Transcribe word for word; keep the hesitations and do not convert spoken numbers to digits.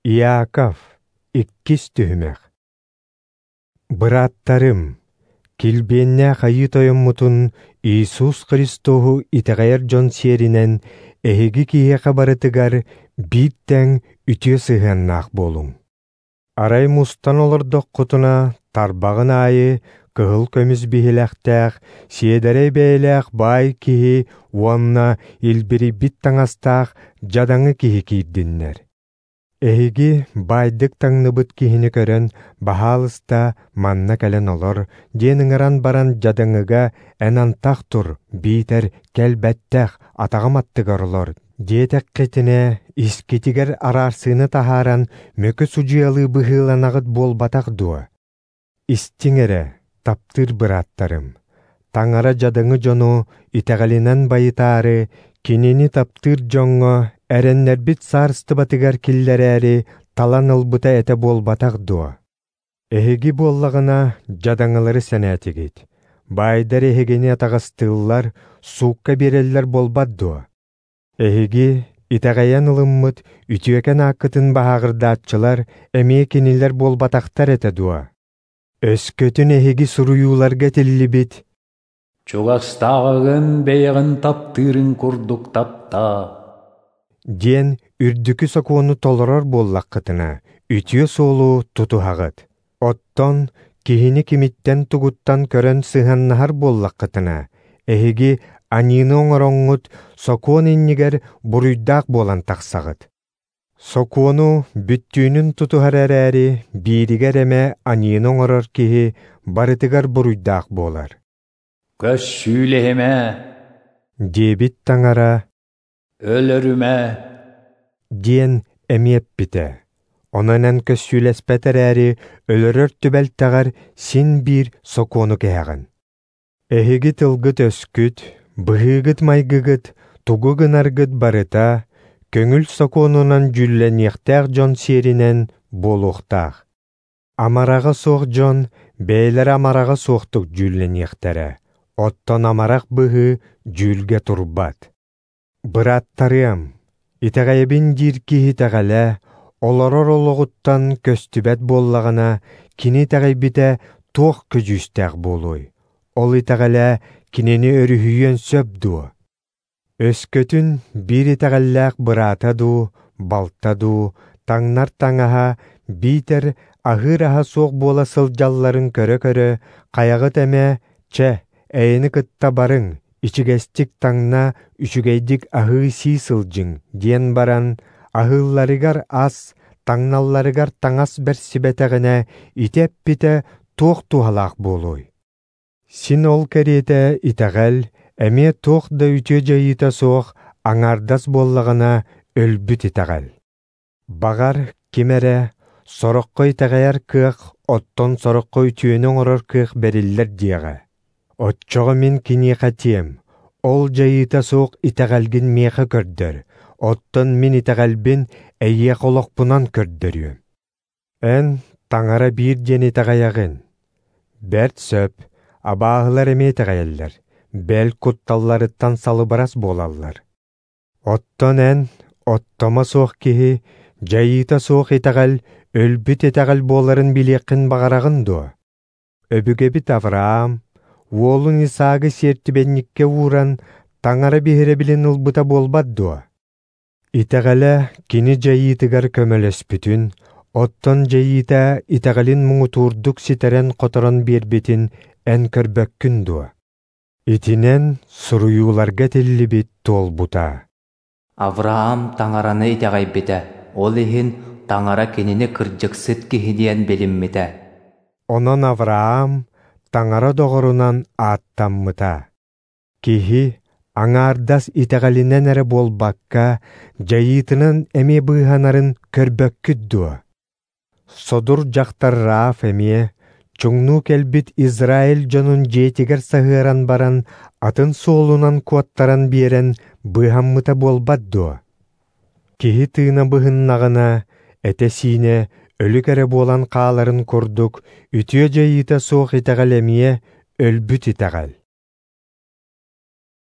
Иаков, иккис түһүмэх. Бырааттарым, килбиэннээх Айыы Тойоммутун Иисус Христоһу итэҕэйэр дьон сиэринэн эһиги киһиэхэ барытыгар биир тэҥ үтүө сыһыаннаах буолуҥ. Арай мустан олордоххутуна, тарбаҕын аайы кыһыл көмүс биһилэхтээх, сиэдэрэй бэйэлээх баай киһи уонна илбирийбит таҥастаах дьадаҥы киһи киирдиннэр. Эһиги баайдык таҥныбыт киһини көрөн, баһаалыста манна кэлэн олор, диэн ыҥыран баран дьадаҥыга эн антах тур, биитэр кэлбэттэх, атаҕым аттыгар олор диэтэххитинэ, искитигэр араарсыыны таһааран мөкү судьуйалыы быһыыланаҕыт буолбатах дуо? Истиҥ эрэ, таптыыр бырааттарым, Таҥара дьадаҥы дьону итэҕэлинэн байытаары, кинини таптыыр дьоҥҥо эрэннэрбит саарыстыбатыгар киллэрээри талан ылбыта этэ буолбатах дуо? Эһиги буоллаҕына дьадаҥылары сэнээтигит, баайдар эһигини атаҕастыыллар, суукка биэрэллэр буолбат дуо? Эһиги итэҕэйэн ылыммыт үтүөкэн ааккытын баһааҕырдааччылар эмиэ кинилэр буолбатахтар этэ дуо? Өскөтүн эһиги суруйууларга этиллибит «Чугастааҕыгын бэйэҕин таптыырын курдук таптаа» диэн үрдүкү сокуону толорор буоллаххытына, үтүө суолу тутуһаҕыт. Оттон киһини кимиттэн тугуттан көрөн сыһыаннаһар буоллаххытына, эһиги аньыыны оҥороҥҥут сокуон иннигэр буруйдаах буолан тахсаҕыт. Сокуону бүттүүнүн тутуһар эрээри, бииригэр эмэ аньыыны оҥорор киһи барытыгар буруйдаах буолар. «Көссүүлэһимэ» диэбит Таҥара «Өлөрүмэ» диэн эмиэ эппитэ. Онон эн көссүүлэспэт эрээри, өлөрөр түбэлтэҕэр син биир сокуону кэһэҕин. Эһиги тылгыт-өскүт, быһыыгыт-майгыгыт, тугу гынаргыт барыта көҥүл сокуонунан дьүүллэниэхтээх дьон сиэринэн буолуохтаах. Амараҕа суох дьон бэйэлэрэ амараҕа суохтук дьүүллэниэхтэрэ, оттон амарах быһыы дьүүлгэ турбат. Бырааттарыам, итэҕэйэбин диир киһи итэҕэлэ, олорор олоҕуттан көстүбэт буоллаҕына, кини итэҕэйбитэ туох көдьүүстээх буолуой? Ол итэҕэлэ кинини өрүһүйүөн сөп дуо? Өскөтүн биир итэҕэллээх быраата дуу, балта дуу, таҥнар таҥаһа, биитэр аһыыр аһа суох буола сылдьалларын көрө-көрө, хайаҕыт эмэ, чэ, эйэни кытта барыҥ, ичигэстик таҥна, үчүгэйдик аһыы-сии сылдьыҥ диэн баран, аһыылларыгар ас, таҥналларыгар таҥас бэрсибэтэҕинэ, ити эппитэ туох туһалаах буолуой? Син ол кэриэтэ итэҕэл эмиэ туох да үтүө дьайыыта суох аҥаардас буоллаҕына өлбүт итэҕэл. Баҕар, ким эрэ сороххо итэҕэйэр кыах, оттон сороххо үтүөнү оҥорор кыах бэриллэр диэҕэ. Оччоҕо мин киниэхэ этиэм, ол дьайыыта суох итэҕэлгин миэхэ көрдөр, оттон мин итэҕэлбин эйиэхэ олохпунан көрдөрүөм. Эн Таҥара биир диэн итэҕэйэҕин. Бэрт сөп, абааһылар эмиэ итэҕэйэллэр, бэл кутталларыттан салыбырас буолаллар. Оттон эн, оттомо суох киһи, дьайыыта суох итэҕэл өлбүт итэҕэл буоларын билиэххин баҕараҕын дуо? Өбүгэбит Авраам уолун Исаагы сиэртибэнньиккэ ууран, Таҥара биһирэбилин ылбыта буолбат дуо? Итэҕэлэ кини дьайыытыгар көмөлөспүтүн, оттон дьайыыта итэҕэлин муҥутуурдук ситэрэн-хоторон биэрбитин эн көрбөккүн дуо? Итинэн суруйууларга этиллибит туолбута. Авраам Таҥараны итэҕэйбитэ, ол иһин Таҥара кинини кырдьыксыт киһи диэн билиммитэ. Онон Авраам Таҥара доҕорунан ааттаммыта. Киһи аҥаардас итэҕэлинэн эрэ буолбакка, дьайыытынан эмиэ быыһанарын көрбөккүт дуо? Содур дьахтар Раав эмиэ чуҥнуу кэлбит Израиль дьонун дьиэтигэр саһыаран баран, атын суолунан куоттаран биэрэн быыһаммыта буолбат дуо? Киһи тыына быһыннаҕына, этэ-сиинэ өлүк эрэ буолан хааларын курдук, үтүө дьайыыта суох итэҕэл эмиэ өлбүт итэҕэл.